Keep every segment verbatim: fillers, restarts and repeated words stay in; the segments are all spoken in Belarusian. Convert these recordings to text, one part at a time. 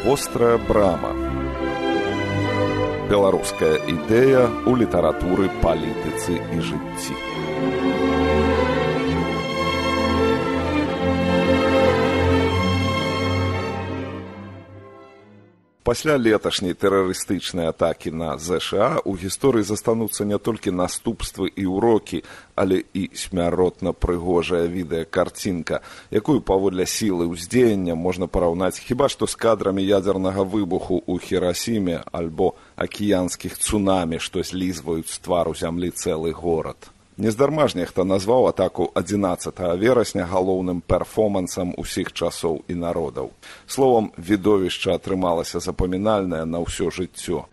Вострая брама. Беларуская ідэя ў літаратуры, палітыцы і жыцці. Пасля леташняй тэрарыстычнай атакі на ЗША у гісторыі застануцца не толькі наступствы і ўрокі, але і смяротна прыгожая відэакарцінка, якую паводле сілы ўздзеяння можна параўнаць хіба што з кадрамі ядзернага выбуху ў Хірасіме альбо акіянскіх цунамі, што злізваюць з твару зямлі цэлы горад. Нездарма ж нехта назваў атаку адзінаццатага верасня галоўным перфомансам усіх часоў і народаў. Словам, відовішча атрымалася запамінальнае на ўсё жыццё.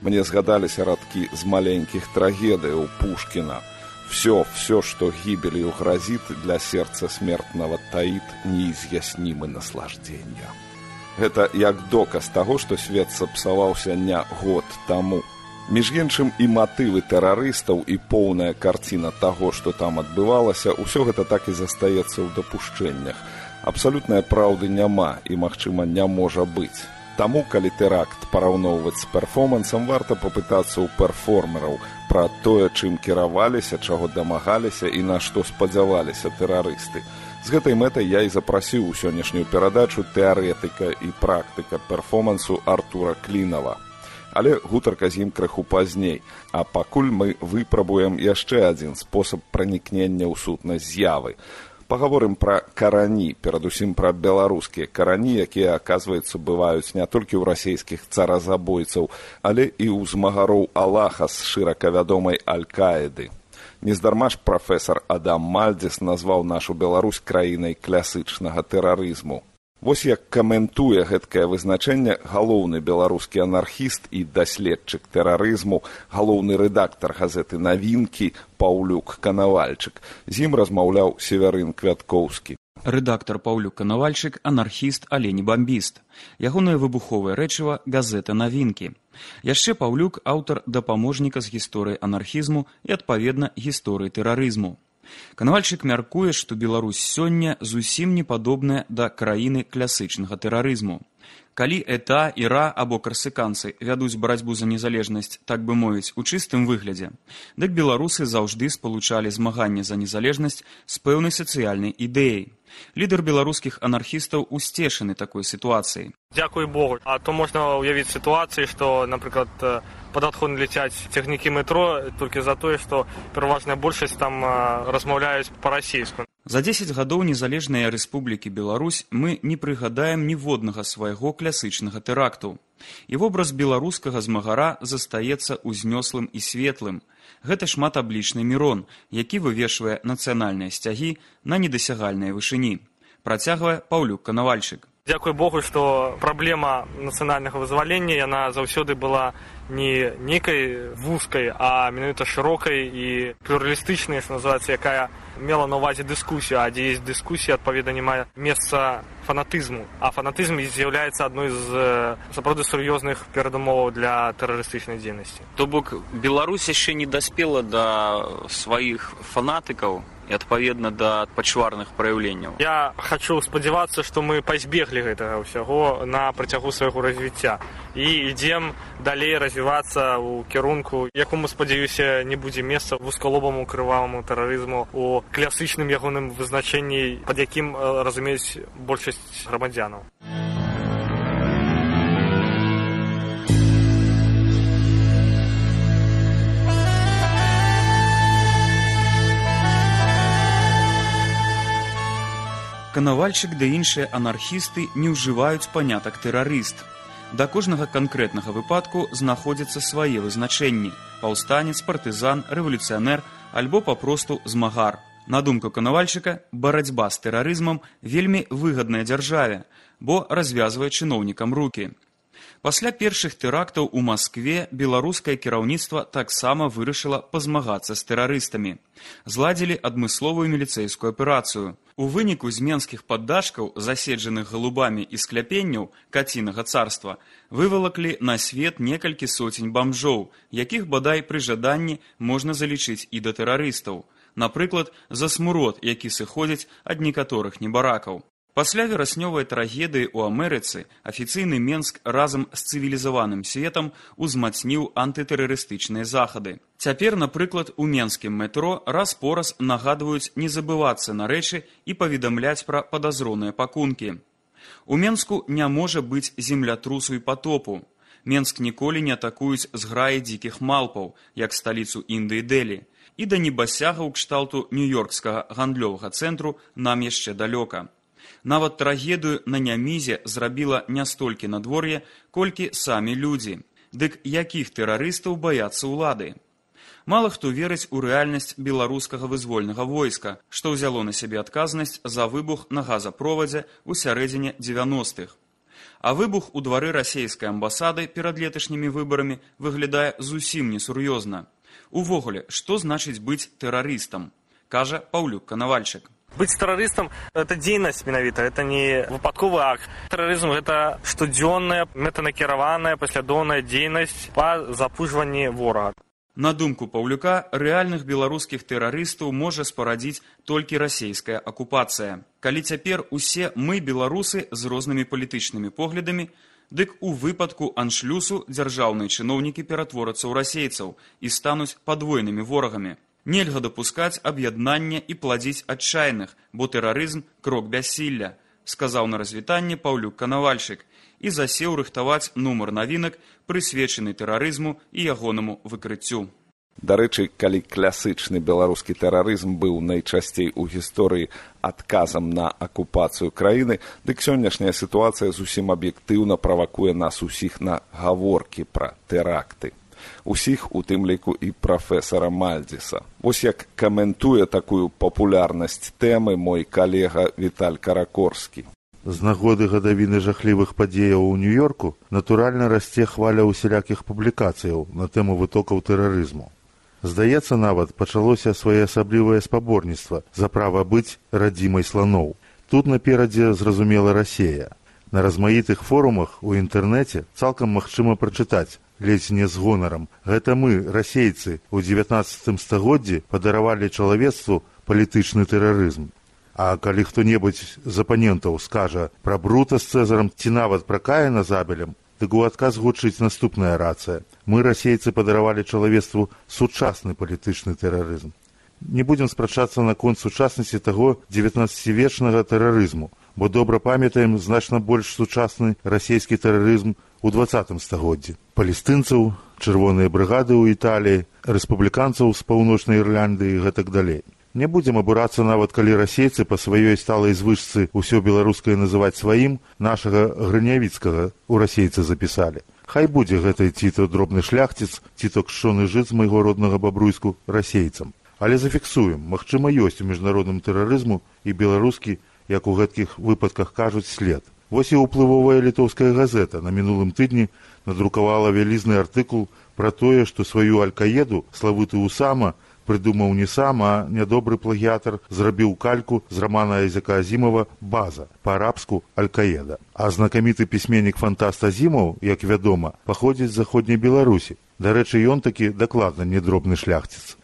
Мне згадаліся радкі з маленькіх трагедыяў Пушкіна. Все, все, что гибелью грозит, для сердца смертного таит неизъяснимы наслаждения. Это як доказ того, что свет сапсаваўся не год таму. Між іншым і матывы тэрарыстаў, і поўная карціна таго, што там адбывалася, усё гэта так і застаецца ў дапушчэннях. Абсалютнай праўды няма і, магчыма, не можа быць. Таму, калі тэракт параўноўваць з перфомансам, варта папытацца ў перформераў пра тое, чым кіраваліся, чаго дамагаліся і на што спадзяваліся тэрарысты. З гэтай мэтай я і запрасіў у сённяшнюю перадачу тэарэтыка і практыка перфомансу Артура Клінава. Але гутарка з ім крыху пазней, а пакуль мы выпрабуем яшчэ адзін спосаб пранікнення ў сутнасць з'явы. Пагаворым пра карані, перадусім пра беларускія карані, якія, аказваецца, бываюць не толькі ў расійскіх царазабойцаў, але і ў змагароў Аллаха з шырака вядомай Аль-Каіды. Нездарма ж прафесар Адам Мальдзіс назваў нашу Беларусь краінай класычнага тэрарызму. Вось як каментуе гэткае вызначэнне галоўны беларускі анархіст і даследчык тэрарызму, галоўны рэдактар газеты «Навінкі» Паўлюк Канавальчык. З ім размаўляў Северын Квяткоўскі. Рэдактар Паўлюк Канавальчык – анархіст, але не бамбіст. Ягонае выбуховае рэчыва – газета «Навінкі». Яшчэ Паўлюк – аўтар дапаможніка з гісторыі анархізму і, адпаведна, гісторыі тэрарызму. Канавальчык мяркуе, што Беларусь сёння зусім не падобная да краіны класычнага тэрарызму. Калі ЭТА, ІРА або карсыканцы вядуць барацьбу за незалежнасць, так бы мовіць, у чыстым выглядзе, дык беларусы заўжды спалучалі змаганне за незалежнасць з пэўнай сацыяльнай ідэяй. Лідар беларускіх анархістаў усцешаны такой сітуацыяй. Дзякуй Богу. А то можна ўявіць сітуацыі, што, напрыклад, пад адхон ляцяць цягнікі метро толькі за тое, што пераважная большасць там размаўляюць па-расейску. За дзесяць гадоў незалежнай рэспублікі Беларусь мы не прыгадаем ніводнага свайго класычнага тэракту. І вобраз беларускага змагара застаецца ўзнёслым і светлым. Гэта шматаблічны Мірон, які вывешвае нацыянальныя сцягі на недасягальнай вышыні. Працягвае Паўлюк Канавальчык. Дзякуй Богу, што праблема нацыянальнага вызвалення, яна заўсёды была не нейкай вузкай, а менавіта шырокай і плюралістычнай, што называецца, якая мела на ўвазе дыскусію, а дзе ёсць дыскусія, адпаведна, не мае месца фанатызму. А фанатызм з'яўляецца адной з сапраўды сур'ёзных перадумоваў для тэрарыстычнай дзейнасці. То бок, Беларусь яшчэ не даспела да сваіх фанатыкаў і, адпаведна, да пачварных праяўленняў. Я хачу спадзявацца, што мы пазбеглі гэтага ўсяго на працягу свайго развіцця і ідзем далей развівацца ў кірунку, якому, спадзяюся, не будзе месца вузкалобаму крываваму тэрарызму у класычным ягоным вызначэнні, пад якім разумеюць большасць грамадзянаў. Канавальчык ды іншыя анархісты не ўжываюць панятак тэрарыст. Да кожнага канкрэтнага выпадку знаходзяцца свае вызначэнні – паўстанец, партызан, рэвалюцыянер альбо папросту змагар. На думку Канавальчыка, барацьба з тэрарызмам вельмі выгадная дзяржаве, бо развязвае чыноўнікам рукі. Пасля першых тэрактаў у Маскве беларускае кіраўніцтва таксама вырашыла пазмагацца з тэрарыстамі. Зладзілі адмысловую міліцэйскую аперацыю – У выніку з менскіх паддашкаў, заседжаных галубамі і скляпенняў кацінага царства, вывалаклі на свет некалькі соцень бамжоў, якіх бадай пры жаданні можна залічыць і да тэрарыстаў. Напрыклад, за смурод, які сыходзіць ад некаторых небаракаў. Пасля вераснёвай трагедыі ў Амерыцы афіцыйны Менск разам з цывілізаваным светам узмацніў антытэрарыстычныя захады. Цяпер, напрыклад, у менскім метро раз-пораз нагадваюць не забывацца на рэчы і паведамляць пра падазроныя пакункі. У Менску не можа быць землятрусу і патопу. Менск ніколі не атакуюць зграі дзікіх малпаў, як сталіцу Індыі Дэлі. І да небасягаў кшталту нью-йоркскага гандлёвага цэнтру нам яшчэ далёка. Нават трагедыю на Нямізе зрабіла не столькі надвор'е, колькі самі людзі. Дык якіх тэрарыстаў баяцца ўлады? Мала хто верыць у рэальнасць беларускага вызвольнага войска, што ўзяло на сябе адказнасць за выбух на газапровадзе ў сярэдзіне дзевяностых. А выбух у двары расейскай амбасады перад леташнімі выбарамі выглядае зусім несур'ёзна. Увогуле, што значыць быць тэрарыстам? Кажа Паўлюк Канавальчык. Быть террористом – это дзейнасць менавіта, это не выпадковы акт. Тэрарызм – гэта штодзённая, мэтанакіраваная, паслядоўная дзейнасць па запужванні ворага. На думку Паўлюка, рэальных беларускіх тэрарыстаў можа спарадзіць толькі расейская акупацыя. Калі цяпер усе мы, беларусы, з рознымі палітычнымі поглядамі, дык у выпадку аншлюсу дзяржаўныя чыноўнікі ператворацца ў расейцаў і стануць падвойнымі ворагамі. Нельга дапускаць аб'яднання і пладзіць адчайных, бо тэрарызм – крок бяссілля, сказаў на развітанне Паўлюк Канавальчык і засеў рыхтаваць нумар навінак, прысвечаны тэрарызму і ягонаму выкрыццю. Дарэчы, калі класычны беларускі тэрарызм быў найчасцей у гісторыі адказам на акупацыю краіны, дык сённяшняя сітуацыя зусім аб'ектыўна правакуе нас усіх на гаворкі пра тэракты. Усіх, у тым ліку і прафесара Мальдзіса. Вось як каментуе такую папулярнасць тэмы мой калега Віталь Каракорскі. З нагоды гадавіны жахлівых падзеяў у Нью-Йорку натуральна расце хваля усялякіх публікацыяў на тэму вытокаў тэрарызму. Здаецца, нават пачалося своеасаблівае спаборніцтва за права быць радзімай сланоў. Тут наперадзе зразумела Расея. На размаітых форумах у інтэрнэце цалкам магчыма прачытаць, ледзь не з гонарам. Гэта мы, расейцы, у дзевятнаццатым стагоддзі падаравалі чалавецтву палітычны тэрарызм. А калі хто-небудзь з апанентаў скажа пра Брута з Цэзарам ці нават пра Каіна з Абелем, дык у адказ гучыць наступная рацыя. Мы, расейцы, падаравалі чалавецтву сучасны палітычны тэрарызм. Не будзем спрачацца наконт сучаснасці таго дзевятнаццацівечнага тэрарызму, бо добра памятаем значна больш сучасны расійскі тэрарызм у дваццатым стагоддзі. Палестынцаў, чырвоныя брыгады ў Італіі, рэспубліканцаў з паўночнай Ірландыі і гэтак далей. Не будзем абурацца нават, калі расейцы па сваёй сталай звычцы ўсё беларускае называць сваім, нашага Грынявіцкага у расейцы запісалі. Хай будзе гэтай ці то дробны шляхціц, ці то кшчоны жыт з майго роднага Бабруйску расейцам. Але зафіксуем, магчыма, ёсць у міжнародным тэрарызму і беларускі, як у гэткіх выпадках кажуць, след. Вось і ўплывовая літоўская газета на мінулым тыдні надрукавала вялізны артыкул пра тое, што сваю аль-Каеду славуты Усама прыдумаў не сам, а нядобры плагіятар зрабіў кальку з рамана Айзека Азімова «База», па-арабску «Аль-Каеда». А знакаміты пісьменнік-фантаст Азімаў, як вядома, паходзіць з заходняй Беларусі. Дарэчы, ён такі дакладна не дробны шляхціц.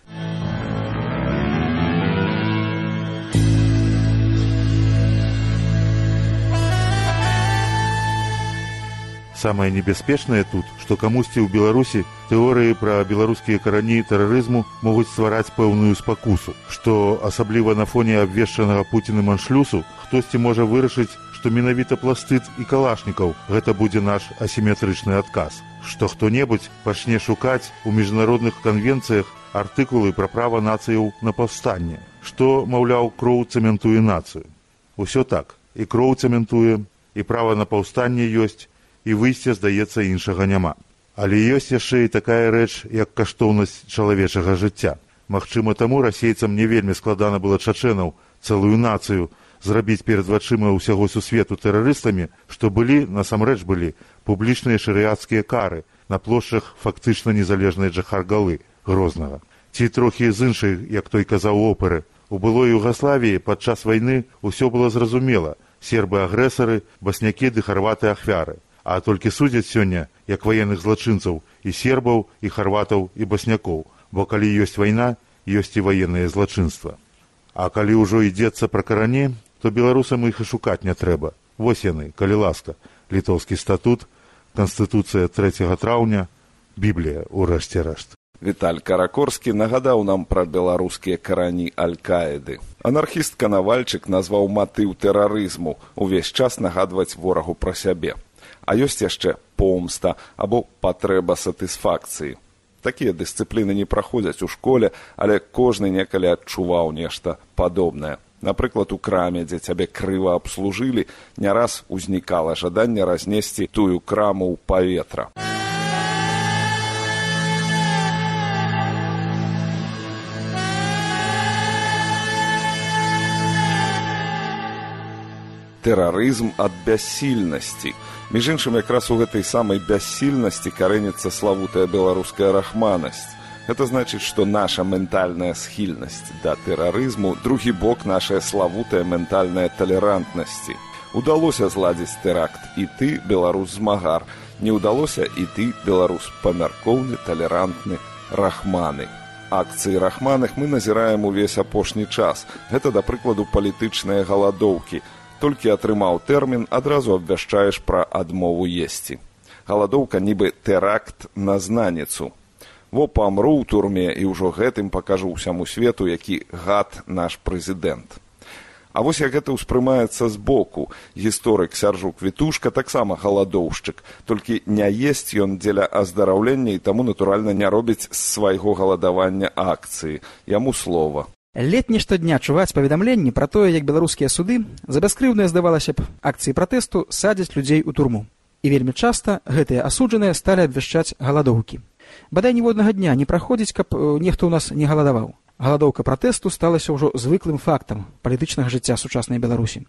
Самае небяспечнае тут, што камусьці ў Беларусі тэорыі пра беларускія карані тэрарызму могуць ствараць пэўную спакусу, што асабліва на фоне абвешчанага Пуцінам аншлюсу хтосьці можа вырашыць, што менавіта пластыд і калашнікаў гэта будзе наш асіметрычны адказ, што хто-небудзь пачне шукаць у міжнародных канвенцыях артыкулы пра права нацыяў на паўстанне, што, маўляў, кроў цэментуе нацыю. Усё так, і кроў цэментуе, і права на паўстанне ёсць, і выйсця, здаецца, іншага няма. Але ёсць яшчэ і такая рэч, як каштоўнасць чалавечага жыцця. Магчыма, таму расейцам не вельмі складана было чачэнаў, цэлую нацыю, зрабіць перад вачыма ўсяго сусвету тэрарыстамі, што былі, насамрэч былі, публічныя шарыяцкія кары на плошчах фактычна незалежнай Джахар-Галы, Грознага. Ці трохі з іншай, як той казаў, оперы, У былой Югаславіі падчас вайны ўсё было зразумела. Сербы агрэсары, баснякі ды харваты ахвяры. А толькі судзяць сёння, як ваенных злачынцаў, і сербаў, і харватаў, і баснякоў. Бо калі ёсць вайна, ёсць і ваеннае злачынства. А калі ўжо ідзецца пра карані, то беларусам іх і шукаць не трэба. Вось яны, калі ласка. Літоўскі статут, Канстытуцыя трэцяга траўня, Біблія, урэшце рэшт. Віталь Каракорскі нагадаў нам пра беларускія карані Аль-Каіды. Анархіст Канавальчык назваў матыў тэрарызму увесь час нагадваць ворагу пра сябе. А ёсць яшчэ помста або патрэба сатысфакцыі. Такія дысцыпліны не праходзяць у школе, але кожны некалі адчуваў нешта падобнае. Напрыклад, у краме, дзе цябе крыва абслужылі, не раз узнікала жаданне разнесці тую краму ў паветра. Тэрарызм ад бяссільнасці. Між іншым, якраз у гэтай самай бяссільнасці карэніцца славутая беларуская рахманасць. Гэта значыць, што наша ментальная схільнасць да тэрарызму, другі бок нашая славутая ментальная талерантнасці. Удалося зладзіць тэракт і ты, беларус-змагар. Не ўдалося і ты, беларус памяркоўны, талерантны, рахманы. Акцыі рахманых мы назіраем увесь апошні час. Гэта, да прыкладу, палітычныя галадоўкі. Толькі атрымаў тэрмін, адразу абвяшчаеш пра адмову есці. Галадоўка нібы тэракт на знаніцу. Во памру ў турме і ўжо гэтым пакажу ўсяму свету, які гад наш прэзідэнт. А вось як гэта ўспрымаецца збоку. Гісторык Сяржук Вітушка таксама галадоўшчык, толькі не есць ён дзеля аздараўлення і таму, натуральна, не робіць з свайго галадавання акцыі. Яму слова. Летні штодня чуваць паведамленні пра тое, як беларускія суды за бяскрыўныя, здавалася б, акцыі пратэсту садзяць людзей у турму. І вельмі часта гэтыя асуджаныя сталі абвяшчаць галадоўкі. Бадай ніводнага дня не праходзіць, каб нехто ў нас не галадаваў. Галадоўка пратэсту сталася ўжо звыклым фактам палітычнага жыцця сучаснай Беларусі.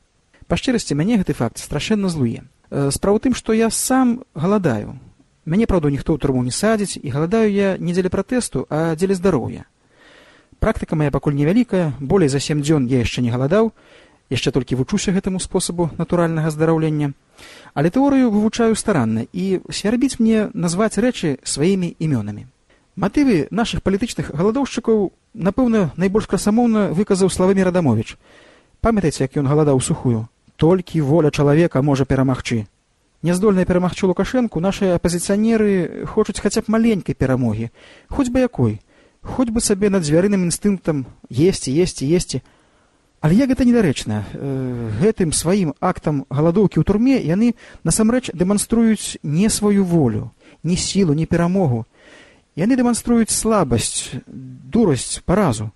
Па шчырасці, мяне гэты факт страшэнна злуе. Справа ў тым, што я сам галадаю. Мяне, праўда, ніхто ў турму не садзіць, і галадаю я не дзеля пратэсту, а дзеля здароўя. Практыка мая пакуль невялікая, болей за сем дзён я яшчэ не галадаў, яшчэ толькі вучуся гэтаму спосабу натуральнага здараўлення. Але тэорыю вывучаю старанна, і свярбіць мне назваць рэчы сваімі імёнамі. Матывы нашых палітычных галадоўшчыкаў, напэўна, найбольш красамоўна выказаў Славамір Адамовіч. Памятаеце, як ён галадаў сухую? Толькі воля чалавека можа перамагчы. Няздольныя перамагчы Лукашэнку нашыя апазіцыянеры хочуць хаця б маленькай перамогі, хоць бы якой. Хоць бы сабе над звярыным інстынктам есці, есці, есці. Але як гэта недарэчна. Гэтым сваім актам галадоўкі ў турме яны насамрэч дэманструюць не сваю волю, ні сілу, ні перамогу. Яны дэманструюць слабасць, дурасць, паразу.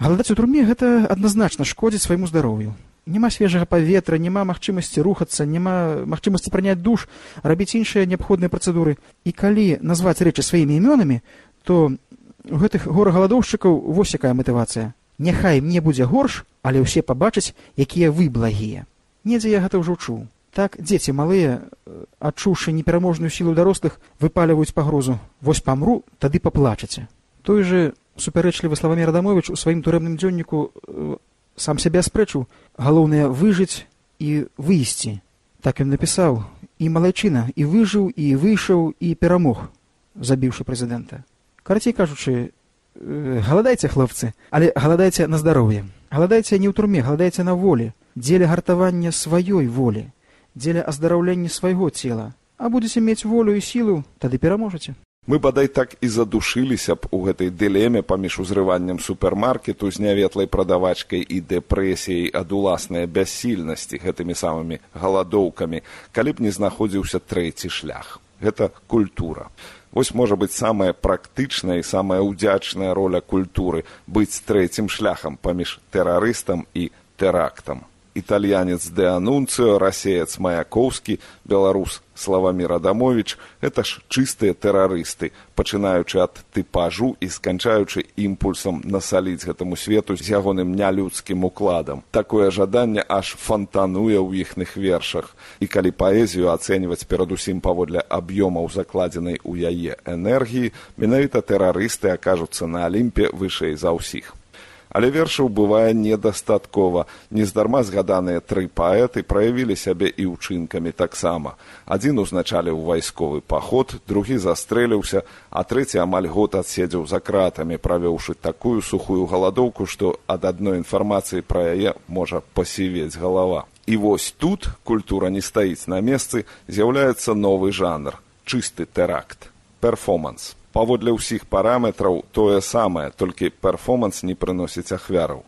Галадаць у турме гэта адназначна шкодзіць свайму здароўю. Няма свежага паветра, няма магчымасці рухацца, няма магчымасці прыняць душ, рабіць іншыя неабходныя працэдуры. І калі назваць рэчы сваімі імёнамі, то у гэтых гора-галадоўшчыкаў вось якая матывацыя. Няхай мне будзе горш, але ўсе пабачаць, якія вы благія. Недзе я гэта ўжо чуў. Так дзеці малыя, адчуўшы непераможную сілу дарослых, выпаліваюць пагрозу. Вось памру, тады паплачаце. Той же супярэчлівы Славамір Адамовіч у сваім турэмным дзённіку э, сам сябе аспрэчыў. Галоўнае выжыць і выйсці. Так ён напісаў. І малайчына, і выжыў, і выйшаў, і перамог, забіўшы прэзідэнта. Карацей кажучы, галадайце, хлопцы, але галадайце на здароўе. Галадайце не ў турме, галадайце на волі, дзеля гартавання сваёй волі, дзеля аздараўлення свайго цела. А будзеце мець волю і сілу, тады пераможаце. Мы бадай так і задушыліся б у гэтай дылеме паміж узрываннем супермаркету з няветлай прадавачкай і дэпрэсіяй ад уласнай бяссільнасці гэтымі самымі галадоўкамі, калі б не знаходзіўся трэці шлях. Гэта культура. Вось можа быць самая практычная і самая ўдзячная роля культуры быць трэцім шляхам паміж тэрарыстам і тэрактам. Італьянец Де Анунцыо, расеец Маяковскі, беларус Славамір Адамовіч – гэта ж чыстыя тэрарысты, пачынаючы ад тыпажу і сканчаючы імпульсам насаліць гэтаму свету з ягоным нялюдскім укладам. Такое жаданне аж фантануе ў іхных вершах. І калі паэзію ацэньваць перадусім паводле аб'ёмаў закладзенай у яе энергіі, менавіта тэрарысты акажуцца на Алімпе вышэй за ўсіх. Але вершаў бывае недастаткова. Нездарма згаданыя тры паэты праявілі сябе і ўчынкамі таксама. Адзін узначаліў вайсковы паход, другі застрэліўся, а трэці амаль год адседзеў за кратамі, правёўшы такую сухую галадоўку, што ад адной інфармацыі пра яе можа пасівець галава. І вось тут культура не стаіць на месцы, з'яўляецца новы жанр – чысты тэракт, перформанс. Паводле ўсіх параметраў тое самае, толькі перформанс не прыносіць ахвяраў.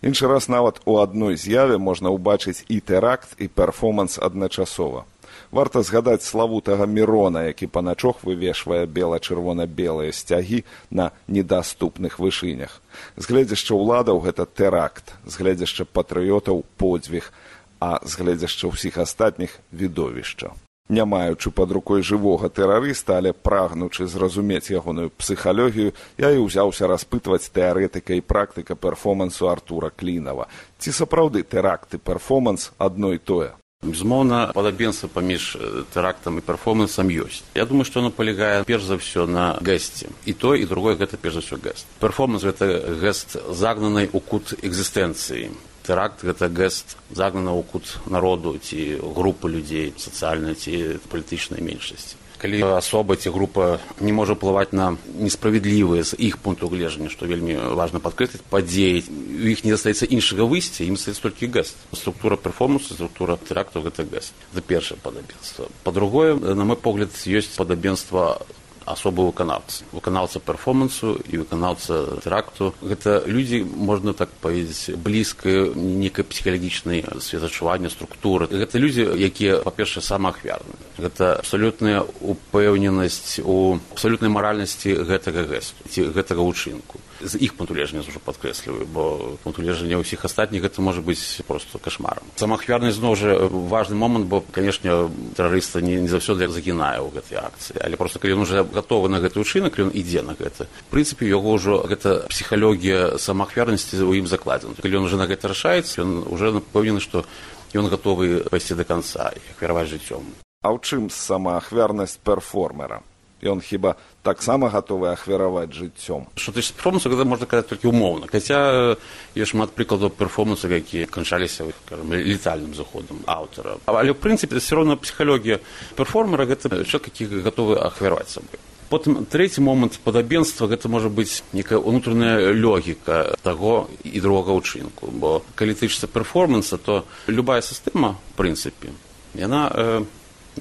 Іншы раз нават у адной з'яве можна ўбачыць і тэракт, і перформанс адначасова. Варта згадаць славутага Мірона, які паначох вывешвае бела-чырвона-белыя сцягі на недаступных вышынях. З гледзяшча ўладаў гэта тэракт, з гледзяшча патрыётаў подзвіг, а з гледзяшча ўсіх астатніх відовішча. Не маючы пад рукой жывога тэрарыста, але прагнучы зразумець ягоную псіхалогію, я і ўзяўся распытваць тэарэтыка і практыка перформансу Артура Клінава. Ці сапраўды тэракт і перформанс адно і тое? Безумоўна, падабенства паміж тэрактам і перформансам ёсць. Я думаю, што оно палягае перш за ўсё на гэсце. І то, і другое гэта перш за ўсё гэст. Перформанс гэта гэст загнанай у кут экзістэнцыі. Тэракт – гэта гэст загнанага ў кут народу ці групы людзей, сацыяльнай ці палітычнай меншасці. Калі асоба ці група не можа ўплываць на несправядлівыя з іх пункту гледжання, што вельмі важна падкрэсліць, падзеі, у іх не застаецца іншага выйсця, ім застаецца толькі гэст. Структура перформансу, структура тэракту – гэта гэст. Гэта першае падабенства. Па-другое, на мой погляд, ёсць падабенства асобы выканаўцы. Выканаўца перформансу і выканаўца тэракту. Гэта людзі, можна так паведзіць, блізкай нейкай псіхалагічнай светачування, структуры. Гэта людзі, якія, па-першае, самаахвярныя. Гэта абсалютная упэўненасць у абсалютнай маральнасці гэтага гэсту, ці гэтага ўчынку. З іх пункту гледжання ўжо падкрэсліваю, бо пункт гледжання ўсіх астатніх гэта можа быць проста кашмарам. Самаахвярнасць, зноў жа, важны момант, бо, канешне, тэрарыста не, не заўсёды загінае ў гэтай акцыі, але проста калі ён уже гатовы на гэты ўчынак, ён ідзе на гэта. В прынцыпе, яго ўжо гэта псіхалогія самаахвярнасці ў ім закладзена. Калі ён уже на гэта рашаецца, ён уже пэўнены, што ён гатовы пайсці да канца і ахвяраваць жыццём. А ў чым самаахвярнасць перформера? Ён хіба таксама гатовы ахвяраваць жыццём? Што тычыцца перформансу, гэта можна казаць толькі ўмоўна. Хаця ёсць шмат прыкладаў перформансу, якія канчаліся, скажем, летальным заходам аўтара. Але ў прынцыпе все роўна псіхалогія перформера гэта чалавек, які гатовы ахвяраваць сабой. Потым трэці момант падабенства гэта можа быць некая ўнутраная логіка таго і другога ўчынку. Бо калі тычыцца перформанса, то любая сістэма, в прынцыпе, яна э,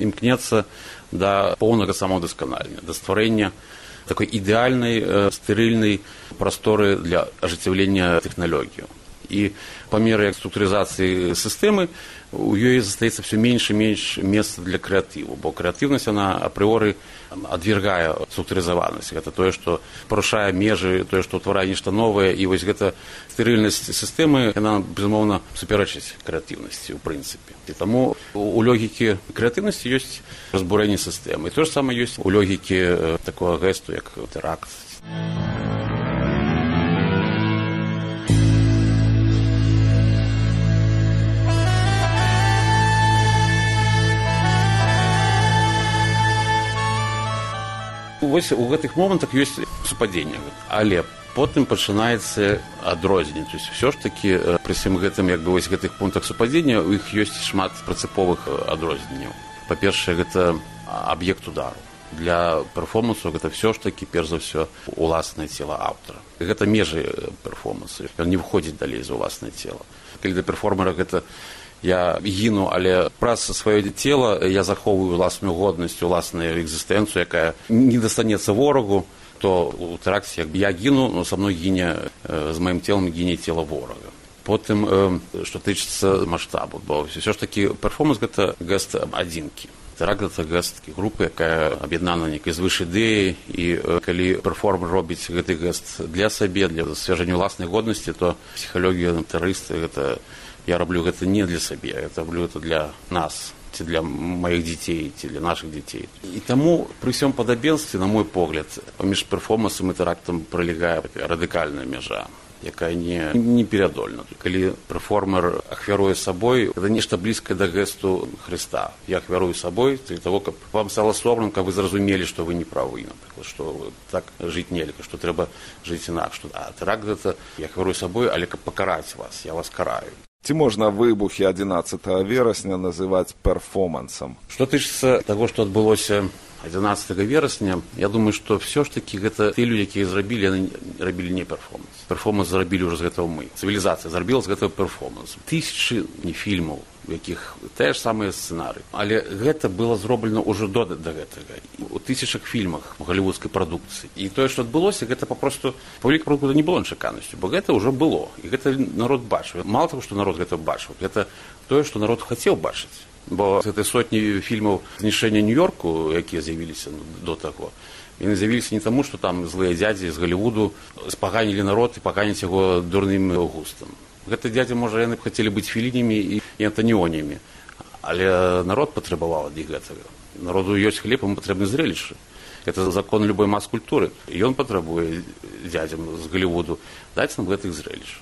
імкнецца да поўнага самаўдасканалення, да стварэння такой ідэальнай, э, стэрыльнай прасторы для ажыццяўлення тэхналогіі. І па меры структурызацыі сістэмы у ёй застаецца все менш і менш месца для крэатыву, бо крэатыўнасць она апрыоры адвергае структурызаванасць. Гэта тое, што парушае межы, тое, што ўтварае нешта новае, і вось гэта стэрыльнасць сістэмы, яна, безумоўна, суперачыць крэатыўнасці ў прынцыпе. І таму у логікі крэатыўнасці ёсць разбурэнне сістэмы. І тое ж самае ёсць у логікі такога гэсту, як тэракт. Вось у гэтых момантах ёсць супадзенне, але потым пачынаецца адрозненне. То есть все ж таки пры всім гэтым, як бы вось гэтых пунктах супадзення, у іх ёсць шмат прынцыповых адрозненняў. Па-першае, гэта аб'ект удару. Для перформансу гэта все ж таки перш за ўсё уласнае цела аўтара. Гэта межы перформансу. Ён не выходзіць далей за ўласнае цела. Калі для перформера гэта я гіну, але праз сваё цела я захоўваю ўласную годнасць, уласную экзістэнцыю, якая не дастанецца ворагу, то у тэракце як бы я гіну, но са мной гіне, з маім целам гіне цела ворага. Потым, што тычыцца маштабу, бо все ж таки перформанс гэта гэст адзінкі. Тэракт гэта гэст групы, якая аб'яднана нейкай звыш ідэі, і калі перформер робіць гэты гэст для сабе, для засвяжання ўласнай годнасці, то псіхалогія тэрарыста гэта я раблю гэта не для сабе, я раблю гэта для нас, ці для маіх дзяцей, ці для нашых дзяцей. І таму пры ўсім падабенстве, на мой погляд, паміж перформансам і тэрактам пралягае радыкальная мяжа. якая не, не перадольна. Калі перформер ахвяруе сабой, это нешта блізкае да гэсту Хрыста. Я ахвярую сабой для того, каб вам стало соромна, каб вы зразумелі, што вы не правы, напрыклад, што так жыць нельга, што трэба жыць інакш. А тэракт гэта я ахвярую сабой, але каб пакараць вас, я вас караю. Ці можна выбухі адзінаццатага верасня называць перформансам? Што тычыцца таго, што адбылося адзінаццатага верасня, я думаю, што все ж такі гэта тыя людзі, якія зрабілі, яны рабілі не перформанс. Перформанс зрабілі ўжо з гэтага мы. Цывілізацыя зрабіла з гэтага перформанс. Тысячы не фільмаў, у якіх тыя ж самыя сцэнары. Але гэта было зроблена ўжо до, да гэтага. У тысячах фільмах галівудскай прадукцыі. І тое, што адбылося, гэта папросту публіка прадукцыі не было нечаканасцю, бо гэта ўжо было. І гэта народ бачыў. Мала таго, што народ гэта бачыў, гэта тое, што народ хацеў бачыць. Бо гэтай сотні фільмаў знішчэння Нью-Йорку, якія з'явіліся до таго, яны з'явіліся не таму, што там злыя дзядзі з Галівуду спаганілі народ і паганяць яго дурным густам. Гэты дзядзі, можа, яны б хацелі быць Фелінямі і Антаніонямі, але народ патрабаваў ад іх гэтага. Народу ёсць хлеб, ему патрэбны зрелішчы. Гэта закон любой мас-культуры. І ён патрабуе дзядзям з Галівуду даць нам гэтых зрелішчаў.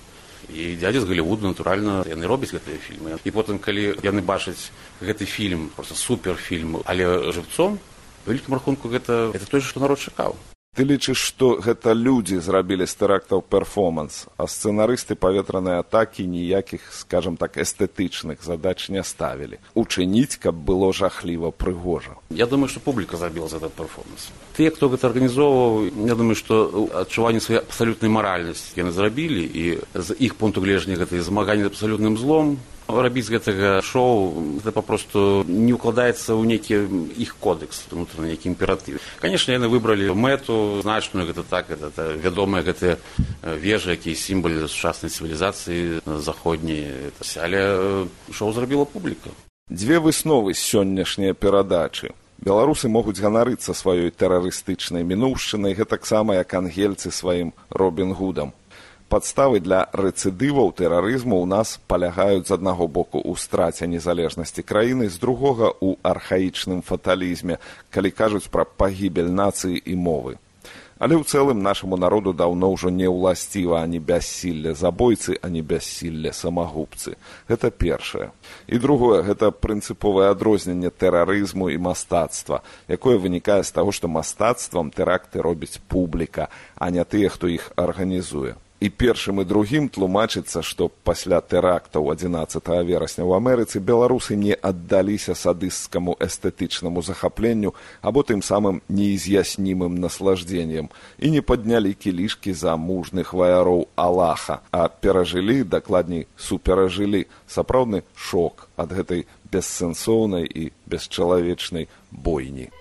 І дзядзі з Галівуду, натуральна, яны робяць гэтыя фільмы. І потым, калі яны бачаць гэты фільм, проста суперфільм, але жыўцом, у вялікім рахунку гэта, гэта тое, што народ чакаў. Ты лічыш, што гэта людзі зрабілі з тэрактаў перформанс, а сцэнарысты паветранай атакі ніякіх, скажам так, эстэтычных задач не ставілі. Учыніць, каб было жахліва прыгожа. Я думаю, што публіка зрабіла за этот перформанс. Тыя, хто гэта арганізоўваў, я думаю, што адчуванне сваёй абсалютнай маральнасці яны зрабілі, і з іх пункту гледжання гэта змаганне з абсалютным злом. Рабіць гэтага шоу, гэта папросту не ўкладаецца ў нейкі іх кодекс, унутраны нейкі імператыў. Канешне, яны выбралі мэту значную, гэта так, гэта вядомыя гэтыя вежы, якія сімвал сучаснай цывілізацыі заходняй, але шоу зрабіла публіка. Дзве высновы з сённяшняй перадачы. Беларусы могуць ганарыцца сваёй тэрарыстычнай мінуўшчынай, гэтаксама як ангельцы сваім Робін Гудам. Падставы для рэцыдываў тэрарызму ў нас палягаюць з аднаго боку ў страце незалежнасці краіны, з другога ў архаічным фаталізме, калі кажуць пра пагібель нацыі і мовы. Але ў цэлым нашаму народу даўно ўжо не ўласціва ані бяссілле забойцы, ані бяссілле самагубцы. Гэта першае. І другое, гэта прынцыповае адрозненне тэрарызму і мастацтва, якое вынікае з таго, што мастацтвам тэракты робіць публіка, а не тыя, хто іх арганізуе. І першым і другім тлумачыцца, што пасля тэрактаў адзінаццатага верасня ў Амерыцы беларусы не аддаліся садысцкаму эстэтычнаму захапленню або тым самым неіз'яснімым наслаждзеннем і не паднялі кілішкі за мужных ваяроў Аллаха, а перажылі, дакладней, суперажылі сапраўдны шок ад гэтай бессэнсоўнай і бесчалавечнай бойні.